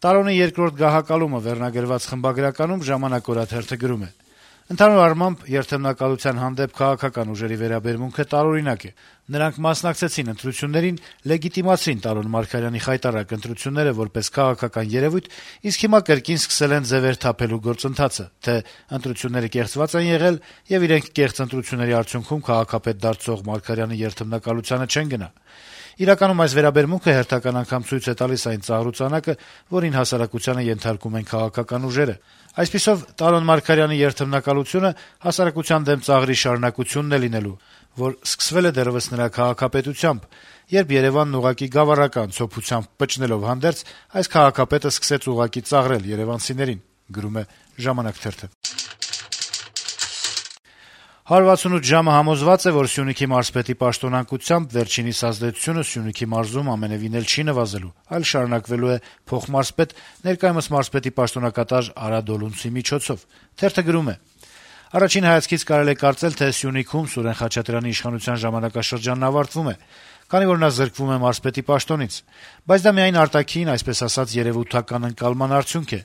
Տարոնի երկրորդ գահակալումը վերնագրված խմբագրականում «Ժամանակ» օրաթերթը գրում է. - «Ընդհանուր առմամբ երթեմնակալության հանդեպ քաղաքական ուժերի վերաբերմունքը տարօրինակ է: Նրանք մասնակցեցին ընտրություններին, լեգիտիմացրին Տարոն Մարգարյանի խայտառակ ընտրությունները որպես քաղաքական երեւույթ, իսկ հիմա կրկին սկսել են ձեւեր թափելու գործընթացը, թե ընտրությունները կեղծված են եղել, եւ իրենք կեղծ ընտրությունների արդյունքում քաղաքապետ դարձող Մարգարյանի երթեմնակալությանը չեն գնա: Իրականում այս վերաբերմունքը հերթական անգամ ցույց է տալիս այն ծաղրուծանակը, որին հասարակությանը ենթարկում են քաղաքական ուժերը: Այսպիսով, Տարոն Մարգարյանի երթեմնակալությունը հասարակության դեմ ծաղրի շարունակությունն է լինելու, որ սկսվել է դեռեւս նրա քաղաքապետությամբ, երբ Երեւանն ուղղակի գավառական ցոփությամբ պճնելով հանդերձ, այս քաղաքապետը սկսեց ուղղակի ծաղրել երեւանցիներին»: 168 ժամը համոզված է, որ Սյունիքի մարզպետի պաշտոնանկությամբ վերջինիս ազդեցությունը Սյունիքի մարզում ամենեւին էլ չի նվազելու, այլ շարունակվելու է փոխմարզպետ, ներկայումս մարզպետի պաշտոնակատար Արա Դոլունցի միջոցով: Թերթը գրում է. - «Առաջին հայացքից կարելի է կարծել, թե Սյունիքում Սուրեն Խաչատրյանի իշխանության ժամանակաշրջանն ավարտվում է, քանի որ նա զրկվում է մարզպետի պաշտոնից: Բայց դա միայն արտաքին, այսպես ասած, երեւութական ընկալման արդյունք է: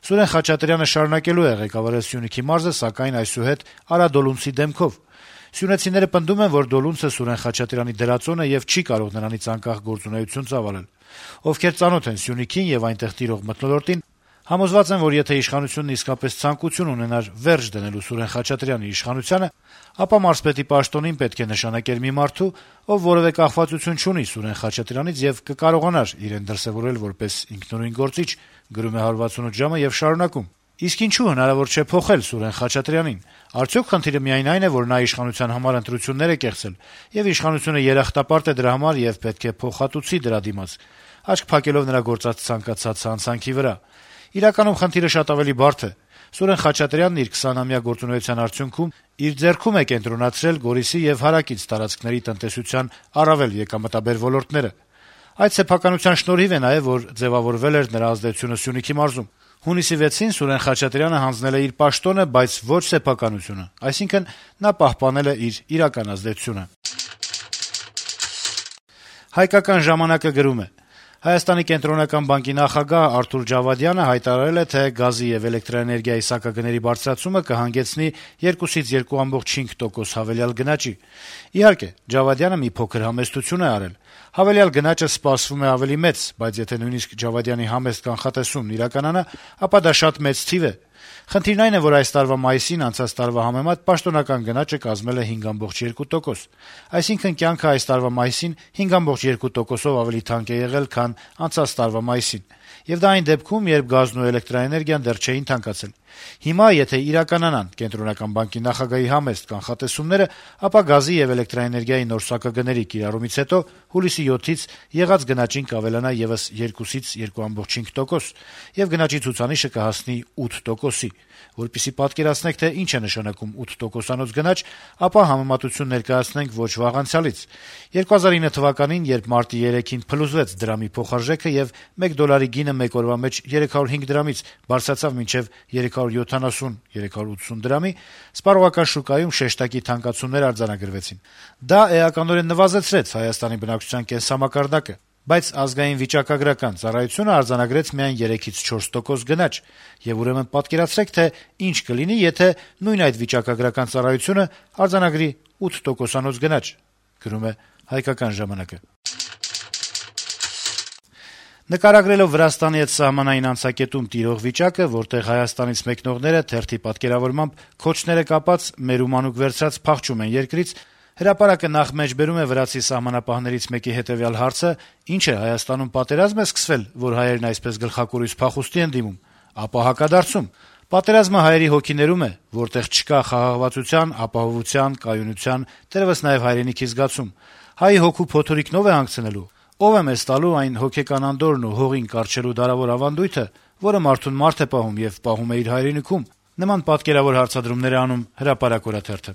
Սուրեն Խաչատրյանը շարունակելու է ղեկավարել Սյունիքի մարզը, սակայն այսուհետ Արա Դոլունցի դեմքով: Սյունեցիները պնդում են, որ Դոլունցը Սուրեն Խաչատրյանի դրածոն է եւ չի կարող նրանից անկախ գործունեություն ծավալել: Ովքեր ծանոթ են Սյունիքին եւ այնտեղ տիրող մթնոլորտին, համոզված են, որ եթե իշխանությունն իսկապես ցանկություն ունենար վերջ դնելու Սուրեն Խաչատրյանի իշխանությանը, ապա մարզպետի պաշտոնին պետք է նշանակեր մի մարդու, ով որեւէ կախվածություն չունի Սուրեն Խաչատրյանից եւ կկարողանար իրեն դրսեւորել որպես ինքնուրույն գործիչ: Եվ շարունակում. «Իսկ ինչու հնարավոր չէ փոխել Սուրեն Խաչատրյանին: Արդյոք խնդիրը միայն այն է, որ նա իշխանության համար ընտրություններ է կեղծել, եւ իշխանությունը երախտապարտ է դրա համար եւ պետք է փոխհատուցի դրա դիմաց, աչք փակելով նրա գործած ցանկացած հանցանքի վրա: Իրականում խնդիրը շատ ավելի բարդ է: Սուրեն Խաչատրյանն իր 20-ամյա գործունեության արդյունքում իր ձեռքում է կենտրոնացրել Գորիսի եւ հարակից տարածքների տնտեսության առավել եկամտաբեր ոլորտները: Այդ սեփականության շնորհիվ է նաեւ, որ ձեւավորվել էր նրա ազդեցությունը Սյունիքի մարզում: Հունիսի 6-ին Սուրեն Խաչատրյանը հանձնել է իր պաշտոնը, բայց ոչ սեփականությունը, այսինքն նա պահպանել է իր իրական ազդեցությունը»: «Հայկական ժամանակ»-ը գրում է. - «Հայաստանի կենտրոնական բանկի նախագահ Արթուր Ջավադյանը հայտարարել է, թե գազի եւ էլեկտրաէներգիայի սակագների բարձրացումը կհանգեցնի 2-ից 2.5% հավելյալ գնաճի: Իհարկե, Ջավադյանը մի փոքր համեստություն է արել: Հավելյալ գնաճը սպասվում է ավելի մեծ, բայց եթե նույնիսկ Ջավադյանի համեստ կանխատեսումն իրականանա, ապա դա շատ մեծ թիվ է: Խնդիրն այն է, որ այս տարվա մայիսին անցած տարվա համեմատ պաշտոնական գնաճը կազմել է 5.2%: Այսինքն` կյանքը այս տարվա մայիսին 5.2%-ով ավելի թանկ է եղել, քան անցած տարվա մայիսին: Եվ դա այն դեպքում, երբ գազն ու էլեկտրաէներգիան դեռ չէին թանկացել: Հիմա, եթե իրականանան Կենտրոնական բանկի նախագահի համեստ կանխատեսումները, ապա գազի եւ էլեկտրաէներգիայի նոր սակագների կիրառումից հետո հուլիսի 7-ից եղած գնաճին կավելանա եւս 2-ից 2.5%, եւ գնաճի ցուցանիշը կհասնի 8%-ի: Որպեսզի պատկերացնեք, թե ինչ է նշանակում 8%-անոց գնաճ, ապա համեմատություն ներկայացնենք ոչ վաղ անցյալից: 2009 թվականին, երբ մարտի 3-ին փլուզվեց դրամի փոխարժեքը եւ 1 դոլարի գինը մեկ օրվա մեջ 305 դրամից բարձրացավ մինչեւ 370-380 դրամի, սպառողական շուկայում շեշտակի թանկացումներ արձանագրվեցին: Դա էականորեն նվազեցրեց Հայաստանի բնակչության կենսամակարդակը, բայց Ազգային վիճակագրական ծառայությունը արձանագրեց միայն 3-ից 4% գնաճ: Եվ ուրեմն պատկերացրեք, թե ինչ կլինի, եթե նույն այդ վիճակագրական ծառայությունը արձանագրի 8%-անոց գնաճ»: Նկարագրելով Վրաստանի հետ սահմանային անցակետում տիրող վիճակը, որտեղ Հայաստանից մեկնողները թերթի պատկերավորմամբ քոչները կապած, մերումանուկ վերցրած փախչում են երկրից, «Հրապարակ»-ը նախ մեջբերում է վրացի սահմանապահներից մեկի հետեւյալ հարցը. «Ինչ է, Հայաստանում պատերազմ է սկսվել, որ հայերն այսպես գլխակորույս փախուստի են դիմում»: Ապա հակադարձում. «Պատերազմը հայերի հոգիներում է, որտեղ չկա խաղաղվածության, ապահովության, կայունության, թերեւս նաեւ հայրենիքի զգացում: Հայի հոգու փոթորիկն ով է հանգցնելու: Ո՞վ է մեզ տալու այն հոգեկան անդորրն ու հողին կառչելու դարավոր ավանդույթը, որը մարդուն մարդ է պահում եւ պահում է իր հայրենիքում»: Նման պատկերավոր հարցադրումներ է անում «Հրապարակ» օրաթերթը: